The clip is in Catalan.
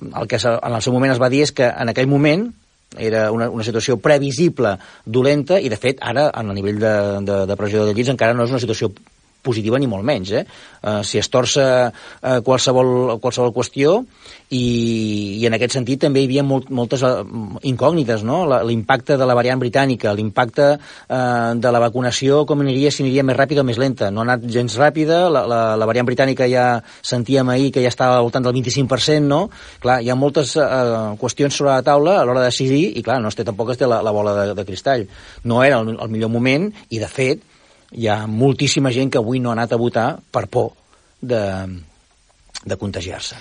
El que en el seu moment es va dir és que en aquell moment era una situació previsible, dolenta, i de fet ara, a nivell de pressió de llits, encara no és una situació positiva ni molt menys. S'hi estorça qualsevol qüestió i en aquest sentit també hi havia moltes incògnites, no? L'impacte de la variant britànica, l'impacte de la vacunació, com aniria, si aniria més ràpida o més lenta. No ha anat gens ràpida, la variant britànica ja sentíem ahir que ja estava al voltant del 25%, no? Clar, hi ha moltes qüestions sobre la taula a l'hora de decidir i, clar, tampoc es té la bola de cristall. No era el millor moment i, de fet, hi ha moltíssima gent que avui no ha anat a votar per por de contagiar-se.